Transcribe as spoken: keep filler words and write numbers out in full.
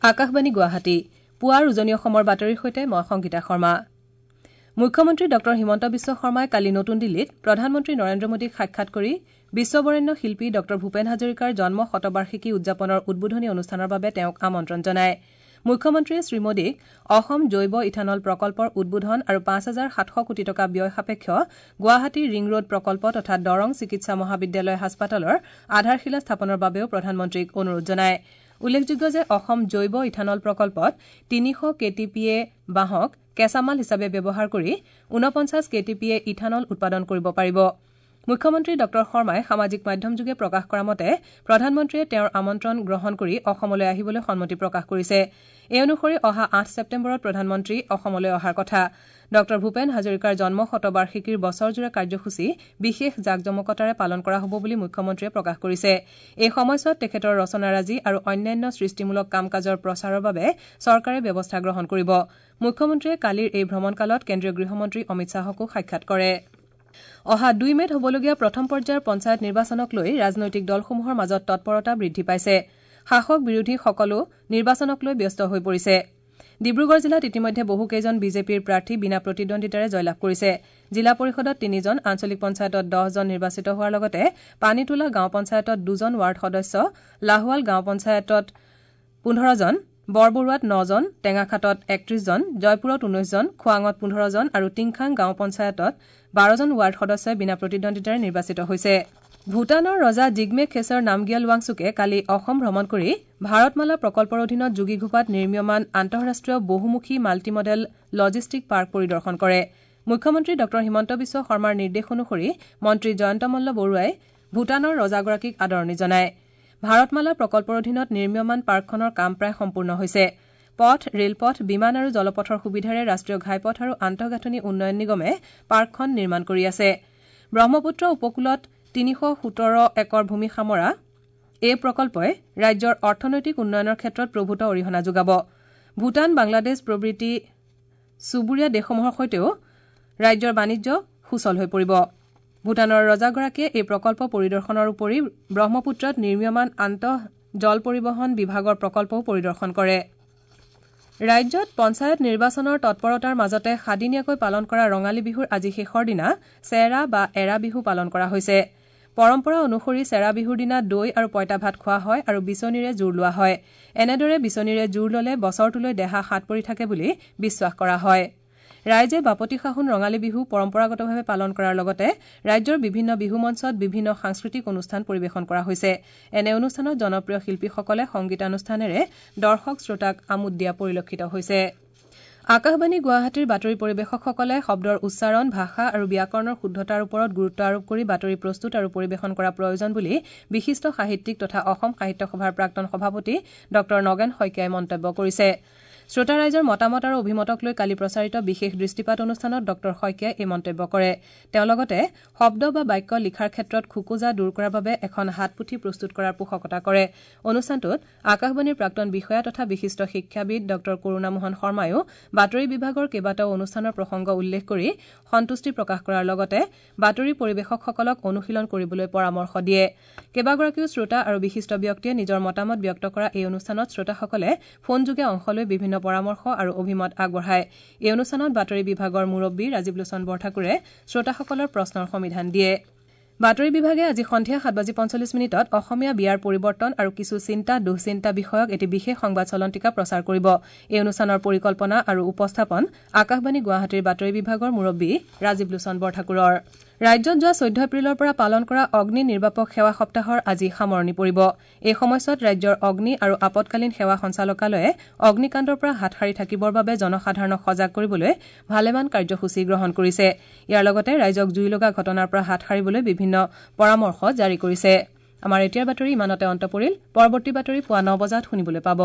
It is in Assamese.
আকাশবাণী গুৱাহাটী পুৱাৰ উজনি অসমৰ বাতৰিৰ সৈতে মই সংগীতা শৰ্মা। মুখ্যমন্ত্ৰী ডঃ হিমন্ত বিশ্ব শৰ্মাই কালি নতুন দিল্লীত প্ৰধানমন্ত্ৰী নৰেন্দ্ৰ মোদীক সাক্ষাৎ কৰি বিশ্ববৰেণ্য শিল্পী ডঃ ভূপেন হাজৰিকাৰ জন্ম শতবাৰ্ষিকী উদযাপনৰ উদ্বোধনী অনুষ্ঠানৰ বাবে তেওঁক আমন্ত্ৰণ জনায়। মুখ্যমন্ত্ৰীয়ে শ্ৰীমোদীক অসম জৈৱ ইথানল প্ৰকল্পৰ উদ্বোধন আৰু পাঁচ হাজাৰ সাতশ কোটি টকা ব্যয় সাপেক্ষ গুৱাহাটী ৰিং ৰোড প্ৰকল্প তথা দৰং চিকিৎসা মহাবিদ্যালয় হাস্পতালৰ আধাৰশিলা স্থাপনৰ বাবেও প্ৰধানমন্ত্ৰীক অনুৰোধ জনায়। উল্লেখযোগ্য যে অসম জৈৱ ইথানল প্ৰকল্পত তিনিশ কে টি পি এ বাঁহক কেঁচামাল হিচাপে ব্যৱহাৰ কৰি ঊনপঞ্চাছ K T P A ethanol উৎপাদন কৰিব পাৰিব। মুখ্যমন্ত্ৰী ডঃ শৰ্মাই সামাজিক মাধ্যমযোগে প্ৰকাশ কৰা মতে প্ৰধানমন্ত্ৰীয়ে তেওঁৰ আমন্ত্ৰণ গ্ৰহণ কৰি অসমলৈ আহিবলৈ সন্মতি প্ৰকাশ কৰিছে। এই অনুসৰি অহা আঠ ছেপ্টেম্বৰত প্ৰধানমন্ত্ৰী অসমলৈ অহাৰ কথা। ডঃ ভূপেন হাজৰিকাৰ জন্ম শতবাৰ্ষিকীৰ বছৰজোৰা কাৰ্যসূচী বিশেষ জাকজমকতাৰে পালন কৰা হ'ব বুলি মুখ্যমন্ত্ৰীয়ে প্ৰকাশ কৰিছে। এই সময়ছোৱাত তেখেতৰ ৰচনাৰাজি আৰু অন্যান্য সৃষ্টিমূলক কাম কাজৰ প্ৰচাৰৰ বাবে চৰকাৰে ব্যৱস্থা গ্ৰহণ কৰিব। মুখ্যমন্ত্ৰীয়ে কালিৰ এই ভ্ৰমণকালত কেন্দ্ৰীয় গৃহমন্ত্ৰী অমিত শ্বাহকো সাক্ষাৎ কৰে। অহা দুই মে'ত হ'বলগীয়া প্ৰথম পৰ্যায়ৰ পঞ্চায়ত নিৰ্বাচনক লৈ ৰাজনৈতিক দলসমূহৰ মাজত তৎপৰতা বৃদ্ধি পাইছে। শাসক বিৰোধী সকলো নিৰ্বাচনক লৈ ব্যস্ত হৈ পৰিছে। ডিব্ৰুগড় জিলাত ইতিমধ্যে বহুকেইজন বিজেপিৰ প্ৰাৰ্থী বিনা প্ৰতিদ্বন্দ্বিতাৰে জয়লাভ কৰিছে। জিলা পৰিষদত তিনিজন, আঞ্চলিক পঞ্চায়তত দহজন নিৰ্বাচিত হোৱাৰ লগতে পানীতোলা গাঁও পঞ্চায়তত দুজন ৱাৰ্ড সদস্য, লাহোৱাল গাঁও পঞ্চায়তত পোন্ধৰজন, বৰবৰুৱাত নজন, টেঙাখাটত একত্ৰিশজন, জয়পুৰত ঊনৈশজন, খোৱাঙত পোন্ধৰজন আৰু টিংখাং গাঁও পঞ্চায়তত বাৰজন ৱাৰ্ড সদস্যই বিনা প্ৰতিদ্বন্দ্বিতাৰে নিৰ্বাচিত হৈছে। ভূটানৰ ৰজা জিগমে খেছৰ নামগিয়াল ৱাংচুকে কালি অসম ভ্ৰমণ কৰি ভাৰতমালা প্ৰকল্পৰ অধীনত যোগীঘোপাত নিৰ্মীয়মান আন্তঃৰাষ্ট্ৰীয় বহুমুখী মাল্টিমডেল লজিষ্টিক পাৰ্ক পৰিদৰ্শন কৰে। মুখ্যমন্ত্ৰী ডঃ হিমন্ত বিশ্ব শৰ্মাৰ নিৰ্দেশ অনুসৰি মন্ত্ৰী জয়ন্ত মল্ল বৰুৱাই ভূটানৰ ৰজাগৰাকীক আদৰণি জনায়। ভাৰতমালা প্ৰকল্পৰ অধীনত নিৰ্মীয়মান পাৰ্কখনৰ কাম প্ৰায় সম্পূৰ্ণ হৈছে। পথ, ৰেলপথ, বিমান আৰু জলপথৰ সুবিধাৰে ৰাষ্ট্ৰীয় ঘাইপথ আৰু আন্তঃগাঁথনি উন্নয়ন নিগমে পাৰ্কখন নিৰ্মাণ কৰি আছে। ব্ৰহ্মপুত্ৰ উপকূলত তিনিশ সোতৰ একৰ ভূমি সামৰা এই প্ৰকল্পই ৰাজ্যৰ অৰ্থনৈতিক উন্নয়নৰ ক্ষেত্ৰত প্ৰভূত অৰিহণা যোগাব। ভূটান, বাংলাদেশ প্ৰভৃতি চুবুৰীয়া দেশসমূহৰ সৈতেও ৰাজ্যৰ বাণিজ্য সুচল হৈ পৰিব। ভূটানৰ ৰজাগৰাকীয়ে এই প্ৰকল্প পৰিদৰ্শনৰ উপৰি ব্ৰহ্মপুত্ৰত নিৰ্মীয়মান আন্তঃ জল পৰিবহণ বিভাগৰ প্ৰকল্পও পৰিদৰ্শন কৰে। ৰাজ্যত পঞ্চায়ত নিৰ্বাচনৰ তৎপৰতাৰ মাজতে সাদিনীয়াকৈ পালন কৰা ৰঙালী বিহুৰ আজি শেষৰ দিনা চেৰা বা এৰা বিহু পালন কৰা হৈছে। পৰম্পৰা অনুসৰি চেৰা বিহুৰ দিনা দৈ আৰু পঁইতা ভাত খোৱা হয় আৰু বিচনীৰে জোৰ লোৱা হয়। এনেদৰে বিচনীৰে জোৰ ললে বছৰটোলৈ দেহা হাত পৰি থাকে বুলি বিশ্বাস কৰা হয়। ৰাইজে বাপতি সাহোন ৰঙালী বিহু পৰম্পৰাগতভাৱে পালন কৰাৰ লগতে ৰাজ্যৰ বিভিন্ন বিহু মঞ্চত বিভিন্ন সাংস্কৃতিক অনুষ্ঠান পৰিৱেশন কৰা হৈছে। এনে অনুষ্ঠানত জনপ্ৰিয় শিল্পীসকলে সংগীতানুষ্ঠানেৰে দৰ্শক শ্ৰোতাক আমোদ দিয়া পৰিলক্ষিত হৈছে। আকাশবাণী গুৱাহাটীৰ বাতৰি পৰিৱেশকসকলে শব্দৰ উচ্চাৰণ, ভাষা আৰু ব্যাকৰণৰ শুদ্ধতাৰ ওপৰত গুৰুত্ব আৰোপ কৰি বাতৰি প্ৰস্তুত আৰু পৰিৱেশন কৰা প্ৰয়োজন বুলি বিশিষ্ট সাহিত্যিক তথা অসম সাহিত্য সভাৰ প্ৰাক্তন সভাপতি ডঃ নগেন শইকীয়াই মন্তব্য কৰিছে। শ্ৰোতা ৰাইজৰ মতামত আৰু অভিমতক লৈ কালি প্ৰচাৰিত বিশেষ দৃষ্টিপাত অনুষ্ঠানত ডঃ শইকীয়াই এই মন্তব্য কৰে। তেওঁ লগতে শব্দ বা বাক্য লিখাৰ ক্ষেত্ৰত খোকোজা দূৰ কৰাৰ বাবে এখন হাতপুথি প্ৰস্তুত কৰাৰ পোষকতা কৰে। অনুষ্ঠানটোত আকাশবাণীৰ প্ৰাক্তন বিষয়া তথা বিশিষ্ট শিক্ষাবিদ ডঃ কৰুণামোহন শৰ্মায়ো বাতৰি বিভাগৰ কেইবাটাও অনুষ্ঠানৰ প্ৰসংগ উল্লেখ কৰি সন্তুষ্টি প্ৰকাশ কৰাৰ লগতে বাতৰি পৰিৱেশকসকলক অনুশীলন কৰিবলৈ পৰামৰ্শ দিয়ে। কেইবাগৰাকীও শ্ৰোতা আৰু বিশিষ্ট ব্যক্তিয়ে নিজৰ মতামত ব্যক্ত কৰা এই অনুষ্ঠানত শ্ৰোতাসকলে ফোনযোগে অংশ লৈ বিভিন্ন পৰামৰ্শ আৰু অভিমত আগবঢ়ায়। এই অনুষ্ঠানত বাতৰি বিভাগৰ মুৰব্বী ৰাজীৱ লোচন বৰঠাকুৰে শ্ৰোতাসকলৰ প্ৰশ্নৰ সমিধান দিয়ে। বাতৰি বিভাগে আজি সন্ধিয়া সাত বাজি পঞ্চল্লিছ মিনিটত অসমীয়া বিয়াৰ পৰিৱৰ্তন আৰু কিছু চিন্তা দুঃচিন্তা বিষয়ক এটি বিশেষ সংবাদ চলন্তিকা প্ৰচাৰ কৰিব। এই অনুষ্ঠানৰ পৰিকল্পনা আৰু উপস্থাপন আকাশবাণী গুৱাহাটীৰ বাতৰি বিভাগৰ মুৰব্বী ৰাজীৱ লোচন বৰঠাকুৰৰ। ৰাজ্যত যোৱা চৈধ্য এপ্ৰিলৰ পৰা পালন কৰা অগ্নি নিৰ্বাপক সেৱা সপ্তাহৰ আজি সামৰণি পৰিব। এই সময়ছোৱাত ৰাজ্যৰ অগ্নি আৰু আপদকালীন সেৱা সঞ্চালকালয়ে অগ্নিকাণ্ডৰ পৰা হাত সাৰি থাকিবৰ বাবে জনসাধাৰণক সজাগ কৰিবলৈ ভালেমান কাৰ্যসূচী গ্ৰহণ কৰিছে। ইয়াৰ লগতে ৰাইজক জুই লগা ঘটনাৰ পৰা হাত সাৰিবলৈ বিভিন্ন পৰামৰ্শ জাৰি কৰিছে। আমাৰ এতিয়াৰ বাতৰি ইমানতে অন্ত পৰিল। পৰৱৰ্তী বাতৰি পুৱা ন বজাত শুনিবলৈ পাব।